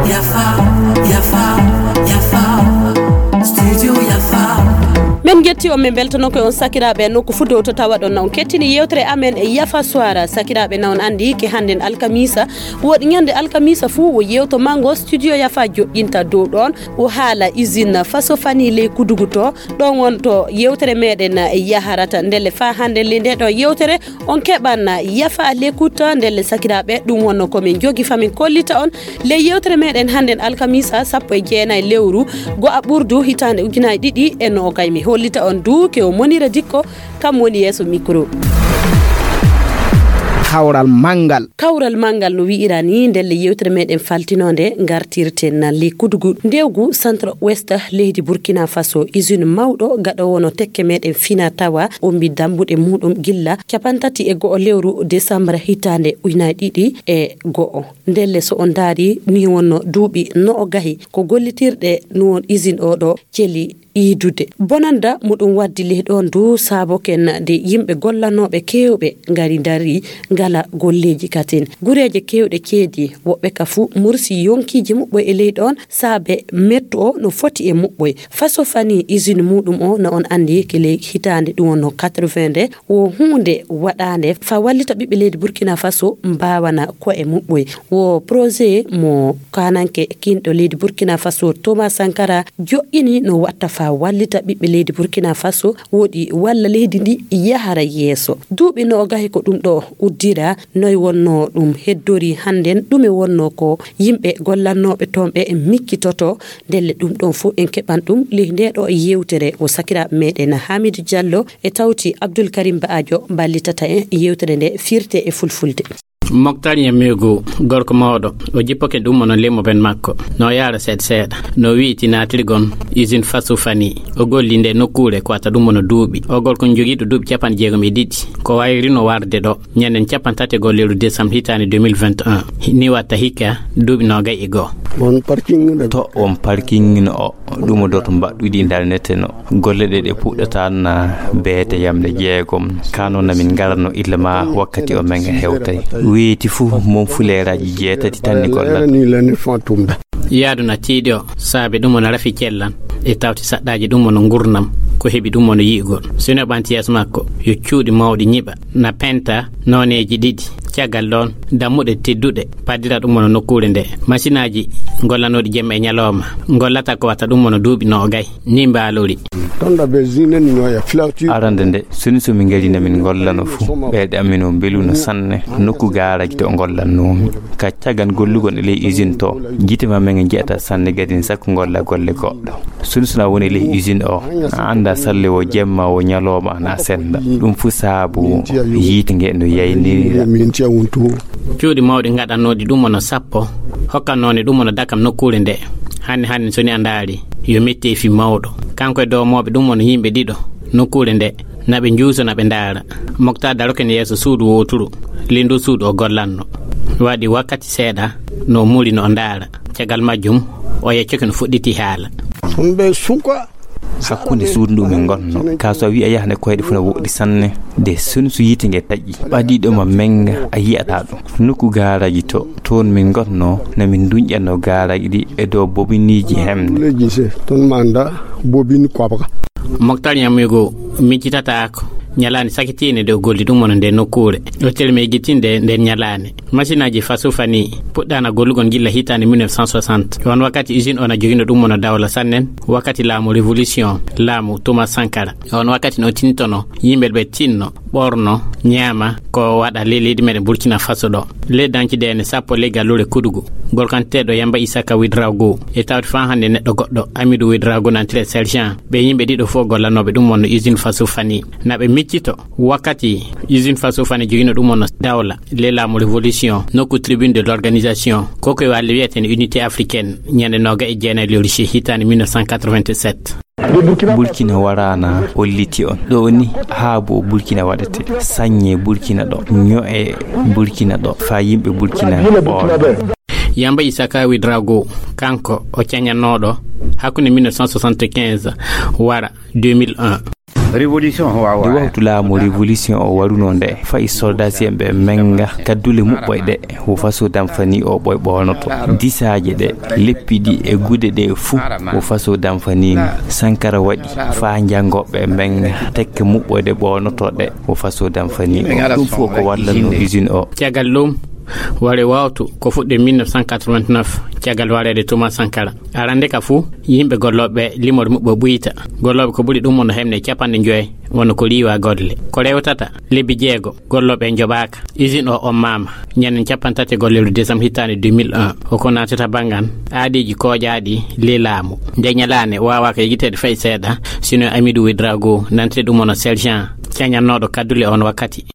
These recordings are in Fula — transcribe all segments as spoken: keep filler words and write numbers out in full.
Yafa, yafa, yafa. Studio yafa. Min njetti on, min mbeltano ko on sakiraaɓe nokku fuu dow to tawaɗon. Na on kettini yewtere amen e Yafa Suwara. Sakiraaɓe, na on anndi ke hannden alkamisa, woɗi ñande alkamisa fuu wo yewto manngo Studio Yafa joƴƴinta dow ɗoon. O haala usine Faso Fani ley Kudugu to. Ɗoon won to yewtere meɗen yaharata. Ndelle faa hannden ley nde ɗo yewtere, on keɓan Yafa Lekuta. Ndelle sakiraaɓe, ɗum wonno ko min njogi faa min kollita on ley yewtere meɗen hannden alkamisa sappo e jeenayi lewru go'a ɓurdu hitaande ujunaaji ɗiɗi e noogay. Mi hollita on duu ke o Monira Dikko, kam woni yeeso mikro. Kawral manngal. Kawral manngal no wi'ira ni, ndelle yewtere meɗen faltinoonde ngartirten na ley Kudugu ndewgu Centre Ouest leydi Burkina Faso. Usine mawɗo gaɗoowo no tekke meɗen fina tawa ombi dambuɗe muɗum gilla capantati e go'o lewru desambre hitaande ujunaaji ɗiɗi e go'o. Ndelle so on ndaari ni wonno duuɓi noogay ko gollitirɗe no won usine o ɗo celi iidude. Bonanda muɗum waddi ley ɗoon du saaboken de yimɓe gollanooɓe keewɓe ngari ndari ngala golleeji katin. Gureeje keewɗe ceedi, woɓɓe ka fuu mursi yonkiiji muɓɓoy e ley ɗoon saabe mettu o no foti e muɓɓoy. Faso Fani usine muɗum o no on anndi ke ley hitaande ɗum wonno quatre-vingts nde wo huunde waɗaande faa wallita ɓiɓɓe leydi Burkina Faso mbaawana ko'e muɓɓoy. Wo projet mo kaananke kiinɗo leydi Burkina Faso Thomas Sankara joƴƴini no watta faa wallita ɓiɓɓe leydi Burkina Faso woɗi walla leydi ndi yahara yeeso. Duuɓi noogay ko ɗum ɗo uddira, noy wonno ɗum heddori hannden, ɗume wonno ko yimɓe gollannooɓe toon ɓe miccitoto, ndelle ɗum ɗoon fof en keɓan ɗum ley nde ɗo yewtere. O sakiraaɓe meɗen Hamidou Diallo e tawti Abdoul Karim Baajo mballitata en yewtere nde firte e fulfulde. Moktar Ñammiigu, gorko mawɗo, o jippake ɗum wonno limo ben makko. No yaara seeɗa seeɗa. No wi'iti naatirgon usine Faso Fani. O golli nde nokkuure ko wata ɗum wonno duuɓi. O gorko jogiiɗo duuɓi capanɗe jeegom e ɗiɗi. Ko wayrino warde ɗo, ñanden capanɗe tati e go'o lewru décembre hitaande deux mille vingt et un. Ni watta hikka duuɓi noogay e go'o. On parking ɗo. To on parking o. Ɗum o doto mbaɗɗuɗi internet no. Golle ɗe ɗe puɗɗata na beete yamde jeegom. Kano na min ngarano illa ma wakkati o men hewtay. Weeti fuu mon fuleeraaji jeetati tan ni gollata. Yaadu na tiiɗi o, saabe ɗum wona rafi cellan. E tawti saɗɗaaji ɗum wona ngurnam, ko heɓi ɗum wona yi'ugol. So neɗɗo ɓanti yeeso makko, yo cuuɗi mawɗi ñiɓa. Na penta nooneeji ɗiɗi. Caggal ɗoon, dammuɗe tedduɗe paddira ɗum wona nokkuure nde. Masinaaji gollanooɗi jemma e ñalooma ngollata ko wata ɗum wona duuɓi noogay. Ni mbaalori. Arande nde, soni so min ngari na min ngollano fuu. Ɓeyɗe amin o mbelu no sanne. Nokku gaaraji to ngollannoomi. Ka caggal gollugol e ley usine to, jite ma men nji'ata sanne gadin sakko ngolla golle goɗɗo. Soni sona woni e ley usine o, a annda salle wo jemma wo ñalooma ana sennda. Ɗum fu saabu yiite nge no yaynirira. Cuuɗi mawɗi ngaɗannooɗi ɗum wona sappo, hokkannooɗi ɗum wona dakam nokkuure nde. Hanni hanni soni a ndaari, yo metteefi mawɗo. Kanko e doomooɓe ɗum wona yimɓe ɗiɗo nokkuure nde. Na ɓe njuuso, na ɓe ndaara. Moktar daroken yeeso suudu wooturu, ley ndu suudu o gollanno. Waɗi wakkati seeɗa, no muri no o ndaara. Caggal majjum, o yeccoke no fuɗɗiti haala. Hakkunde suudu ndu min ngonno, ka so a wi'a yahde koyɗe fuu na woɗɗi sanne. De soni so yiite nge taƴi, ɓadiiɗo ma menga a yi'ata ɗum. Nokku gaaraji to, toon min ngonno, na min nduñƴanno gaaraji ɗi e dow bobiniiji hemde. Moktar Ñammiigu miccitataako ñalaande sakitiinde nde o golli ɗum wona nde nokkuure. O telmi eggitinde nden ñalaande. Masinaaji Faso Fani puɗɗaana gollugol gilla hitaande mille neuf cent soixante. E on wakkati usine o na jogino ɗum wona dawla sannen wakkati laamu révolution, laamu Thomas Sankara. E on wakkati no tintono yimɓe ɓe tinno, ɓorno, ñaama ko waɗa ley leydi meɗen Burkina Faso ɗo. Ley danci deene sappo ley galluure Kudugu, gorkanteeɗo Yamba Isaka Widrago e tawti faa hannde neɗɗo goɗɗo, Amidu Widrago nantire sergent. Ɓe yimɓe ɗiɗo fof gollanooɓe ɗum wonno usine Faso Fani. Na ɓe miccito wakkati usine Faso Fani jogino ɗum wonno dawla, ley laamu révolution, nokku tribune de l'organisation, ko ko e walle wiyeten unité africaine, ñande nooga e jeenayi lewru juillet hitaande mille neuf cent quatre-vingt-sept. Burkina waraana holliti on. Ɗo ni haabu o Burkina waɗete. Saññe Burkina ɗo. Ño'e Burkina ɗo. Faa yimɓe Burkina ɓooya. Yamba Isaka Widrago, kanko o cañannooɗo hakkunde mille neuf cent soixante-quinze wara deux mille un. Révolution o wawa. Nde wawtu laamu révolution o waruno nde, fayi soldasiyen ɓe menga kaddule muɓɓoy ɗe, wo faso damfani o ɓoy ɓoonoto. Disaaje ɗe, leppi ɗi e gude ɗe fuu, wo faso damfani ni. Sankara waɗi faa janngoɓe menga tekke muɓɓoy ɗe ɓoonoto ɗe, wo faso damfani o. Ɗum fof ko wallano usine o. Caggal ɗum, ware wawtu ko fuɗɗi mille neuf cent quatre-vingt-neuf, caggal wareede Thomas Sankara. Arande ka fuu, yimɓe gollooɓe limoore muɓɓoy ɓuyta. Gollooɓe ko ɓuri ɗum won no heɓde capanɗe joy, wonno ko riiwa golle. Ko rewtata, lebbi jeego, gollooɓe en njoɓaaka. Usine o ommaama, ñanden capanɗe tati e golle lewru décembre hitaande deux mille un. O ko naatata banngan, aadeeji kooƴaaɗi, le laamu. Nde ñalaande, waawaaka yejjiteede fay seeɗa, sino Amidou Ouédraogo, nantee ɗum wonno sergent, cañannooɗo kaddule on wakkati.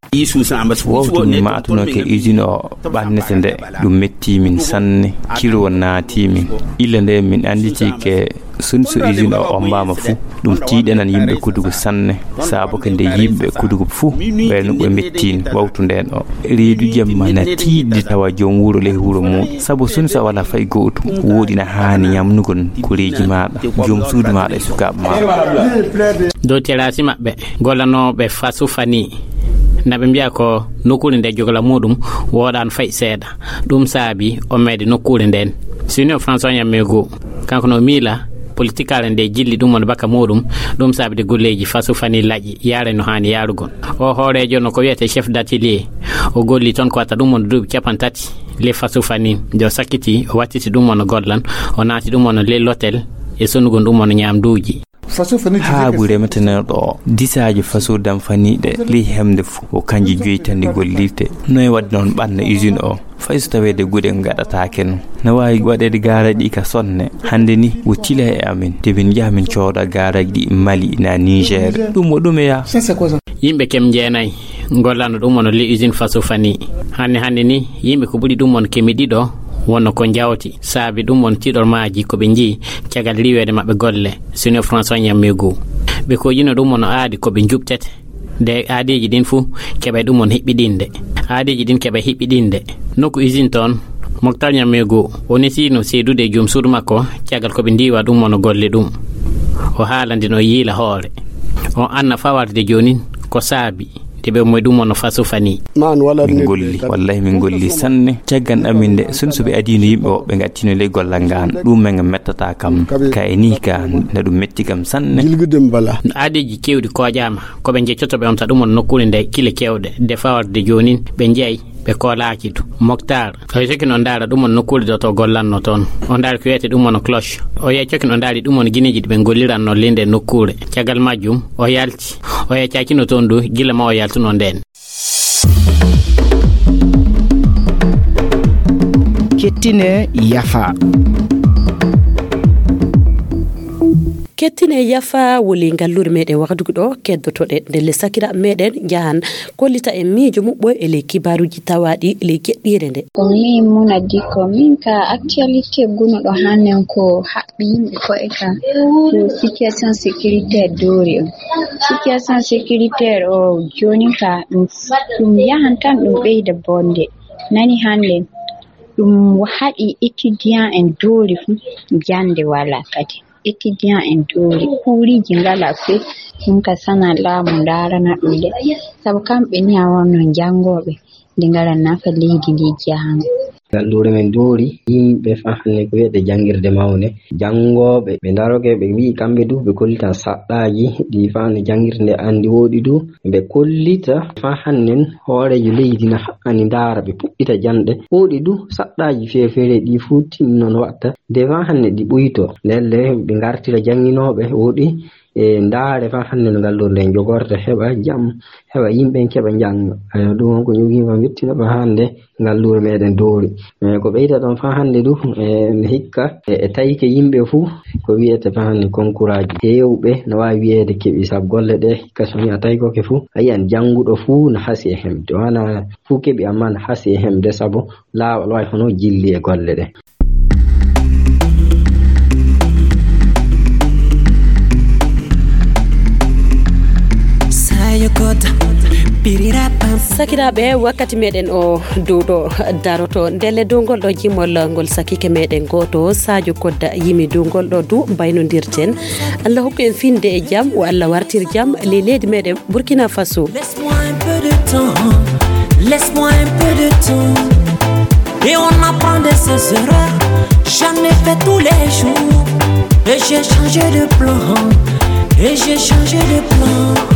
Wawtu mi maatuno ke usine o ɓannete nde, ɗum metti min sanne, kilo naati min. Illa nde min annditi ke sun so usine o ommaama fu, ɗum tiiɗanan yimɓe kudugu sanne. Saabu ke nde yimɓe kudugu fu, ɓe no ɓe mettin wawtu nden o. Reedu jemma na tiiɗi tawa joom wuro ley wuro mum. Sabu sun so wala fay gootum, woɗi na haani ñamnugol koreeji maaɗa, joom suudu maaɗa e sukaaɓe maaɗa. Dow terasi maɓɓe, gollanooɓe fasu fani, na ɓe mbiya ko nokkuure nde jogla muɗum woɗano fay seeɗa. Ɗum saabi o meede nokkuure nden. Sino François Ñammego, kanko no miila politikaare nde jilli ɗum woni baka muɗum, ɗum saabi de golleeji fasu fani laƴi, yaare no haani yaarugol. O hooreejo no ko wiyete chef d'atelier. O golli toon ko watta ɗum woni duuɓi capanɗe tati. Le fasu fani, nde o sakkiti, o wattiti ɗum woni gollan, o naati ɗum woni le l'hôtel, e sonugol ɗum woni ñaamduuji. Haa ɓure meteneɗo o, disaaji faso damfaniiɗe ley hemde fof, o kanji joyi tan ɗi gollirte. Noye waɗi noon ɓanna usine o? Fay so taweede guɗe gaɗataake noon. No waawi waɗeede gaaraji ɗi ka sonne. Hannde ni, o tila e amin, de min njaha min cooda gaaraji ɗi Mali na Niger. Ɗum o ɗume yaa? Yimɓe kem jeenayi gollano ɗum woni le usine faso fani. Hannde hannde ni, yimɓe ko ɓuri ɗum woni kemi ɗiɗo wonno ko jawti. Saabi ɗum woni tiɗol maaji ko ɓe njii caggal riiweede maɓɓe golle. Sino François Ñammegu. Ɓe koƴino ɗum woni aadi ko ɓe njuɓtete. Nde aadeeji ɗin fuu keɓay ɗum woni hiɓɓiɗinde. Aadeeji ɗin keɓay hiɓɓiɗinde. Nokku usine toon, Moktar Ñammegu, o nesino seedude e joom suudu makko, caggal ko ɓe ndiiwa ɗum woni golle ɗum. O haalande no yiila hoore. O anna faa warde joonin ko saabi de ɓe moy ɗum woni faso fani. Min golli, wallahi min golli sanne. Caggal amin nde, sun so ɓe adino yimɓe o, ɓe gattino ley gollal ngal. Ɗum men mettata kam. Ka e ni ka, na ɗum metti kam sanne. No aadeeji keewɗi koƴaama, ko ɓe jeccoto ɓe omta ɗum woni nokkuure nde kile keewɗe. De faa warde joonin, ɓe jeyi, ɓe koolaaki du. Moktar, o yehi cokin o ndaara ɗum woni nokkuure ɗo to gollanno toon. O ndaari ko wiyete ɗum woni cloche. O yehi cokin o ndaari ɗum woni gineeji ɗi ɓe golliranno ley nde nokkuure. Caggal majjum, o yalti. O yehi cakino toon du, gila ma o yaltuno nden. Kettine yafa. Kettine yafa woni ngalluure meɗen waktugu ɗo, keddotoɗen ndelle sakiraaɓe meɗen njahan kollita en miijo muɓɓo e ley kibaaruuji tawaaɗi ley geɗɗiire nde. Ko min Muna Dikko, min ka actualité gunuɗo hannen ko haɓɓi yimɓe ko'e ka, ko situation sécuritaire doori on. Situation sécuritaire o joonin ka ɗum, ɗum yahan tan ɗum ɓeyda bonde. Nani hannde ɗum haɗi étudiant en doori fu jannde wala kadi. Étudiant en doori, kuuliiji ngala foy, ɗum ka sana laamu ndaarana ɗum de. Sabu kamɓe ni a wonno janngooɓe, nde ngala nafa leydi ndi jahango. Ngalluure men doori, yimɓe faa hannde ko wiyete janngirde mawnde. Janngooɓe, ɓe ndaroke, ɓe wi'i kamɓe du, ɓe kollitan saɗɗaaji ɗi faa hannde janngirde nde anndi woɗi du. Ɓe kollita faa hannde hooreejo leydi na haqqani ndaara, ɓe puɗɗita janɗe. Woɗi du, saɗɗaaji feere-feere ɗi fuu tin non watta. Nde faa hannde ɗi ɓuyto, ndelle ɓe ngartira jannginooɓe woɗi, e ndaare faa hannde no ngalluure nden jogorte, heɓa jam, heɓa yimɓe en keɓa njannga. Ayo, ɗum on ko ƴogiima mettina faa hannde ngalluure meɗen doori. E ko ɓeyta ɗon faa hannde du, e hikka, e, e tawike yimɓe fuu, ko wiyete faa hannde konkuraaji heewɓe, no waawi wiyeede keɓi sabu golle ɗe, hikka so mi a tawikoke fuu, a yiyan jannguɗo fuu no hasi e hemde. Wana fuu keɓi, ammaa no hasi e hemde sabu laawol wayi hono jilli e golle ɗe. Sayokota. Sakiraaɓe, wakkati meɗen o duuɗo daroto. Ndelle dow ngol ɗo jimol ngol sakiike meɗen gooto, Sadio Kodda, yimi dow ngol ɗo du mbaynondirten. Allah hokku en finde e jam, o Allah wartir jam ley leydi meɗen Burkina Faso. Laisse-moi un peu de temps, laisse-moi un peu de temps. Et on apprend de ses erreurs. J'en ai fait tous les jours. Et j'ai changé de plan, et j'ai changé de plan.